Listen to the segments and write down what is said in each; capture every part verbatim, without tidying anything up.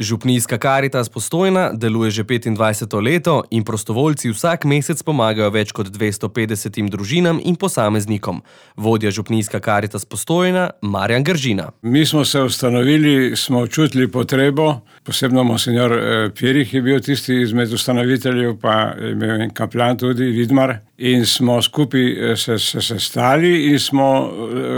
Župnijska Karitas Postojna deluje že petindvajseto leto in prostovoljci vsak mesec pomagajo več kot dvesto petdesetim družinam in posameznikom. Vodja Župnijska Karitas Postojna, Marjan Gržina. Mi smo se ustanovili, smo čutili potrebo, posebno monsenjor Pirih je bil tisti izmed ustanoviteljev, pa je imel en kaplan tudi, Vidmar, in smo skupaj se, se sestali in smo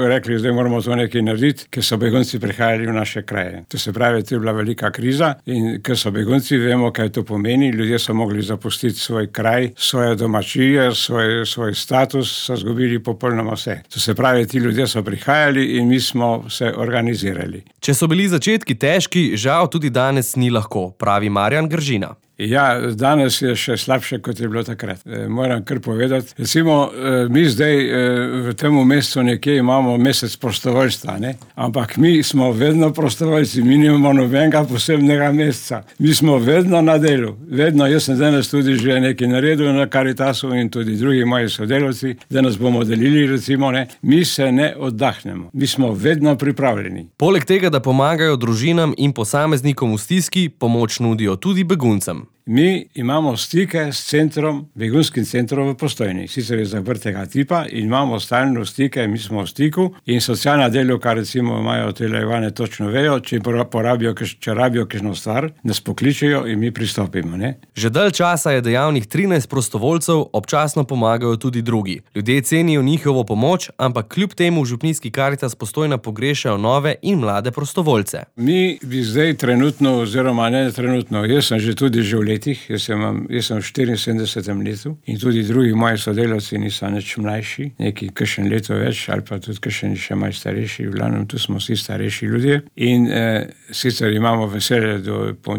rekli, zdaj moramo to nekaj narediti, ker so begunci prihajali v naše kraje. To se pravi, to je bila velika kriza in ker so begunci, vemo, kaj to pomeni, ljudje so mogli zapustiti svoj kraj, svoje domačije, svoj, svoj status, so zgubili popolnoma vse. To se pravi, ti ljudje so prihajali in mi smo se organizirali. Če so bili začetki težki, žal tudi danes ni lahko, pravi Marjan Gržina. Ja, danes je še slabše, kot je bilo takrat. E, moram kar povedati. Recimo, e, mi zdaj e, v tem mesecu nekje imamo mesec prostovoljstva, ne? Ampak mi smo vedno prostovoljci, mi nimamo nobenega posebnega meseca. Mi smo vedno na delu. Vedno, jaz sem danes tudi že nekaj naredil na Karitasu in tudi drugi moji sodelavci, da nas bomo delili, recimo, ne? Mi se ne oddahnemo. Mi smo vedno pripravljeni. Poleg tega, da pomagajo družinam in posameznikom v stiski, pomoč nudijo tudi beguncem. Mi imamo stike s centrom, begunskim centrom v Postojni. Sicer je zaprtega tipa in imamo stalno stike, mi smo v stiku in socialna delavka, recimo, imajo televane točno vejo, če porabijo, če rabijo kakšno stvar, nas pokličejo in mi pristopimo, ne? Že dalj časa je dejavnih trinajst prostovoljcev, občasno pomagajo tudi drugi. Ljudje cenijo njihovo pomoč, ampak kljub temu v Župnijski Karitas Postojna pogrešajo nove in mlade prostovoljce. Mi bi zdaj trenutno, oziroma ne trenutno, jaz sem že tudi že v letih, jaz sem, jaz sem v štiriinsedemdesetem letu in tudi drugi moji sodelavci niso nič mlajši, neki kakšen leto več ali pa tudi kakšen še malo starejši, v glavnem tu smo vsi starejši ljudje in eh, sicer imamo veselje,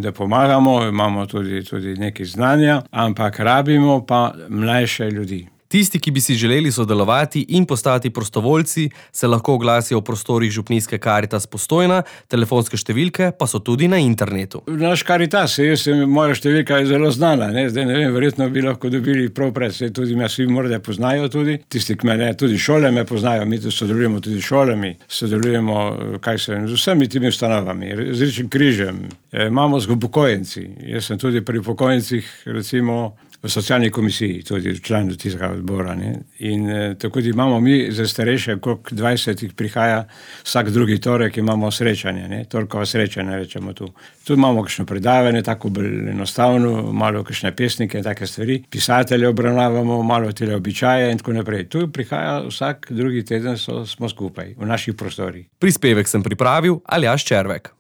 da pomagamo, imamo tudi, tudi nekaj znanja, ampak rabimo pa mlajše ljudi. Tisti, ki bi si želeli sodelovati in postati prostovoljci, se lahko oglasijo v prostorih Župnijske Karitas Postojna, telefonske številke pa so tudi na internetu. Naš Karitas, jaz, moja številka je zelo znana, ne? Zdaj ne vem, verjetno bi lahko dobili prav pred, se tudi me vsi morda poznajo tudi, tisti, ki me ne, tudi šole me poznajo, mi tudi sodelujemo tudi šolami, sodelujemo, kaj se, z vsemi timi ustanovami, z Rdečim križem, e, imamo z upokojenci, jaz sem tudi pri upokojencih, recimo, v socialni komisiji, tudi v članu tistega odbora. Ne? In eh, tako da imamo mi za starejše, koliko dvajsetih prihaja, vsak drugi torek imamo srečanje, ne? Torkova srečanja rečemo tu. Tu imamo kakšno predavanje, tako bolj enostavno, malo kakšne pesnike, take stvari. Pisatelje obravnavamo, malo tele običaje in tako naprej. Tu prihaja vsak drugi teden, so, smo skupaj v naših prostorih. Prispevek sem pripravil Aljaž Červek.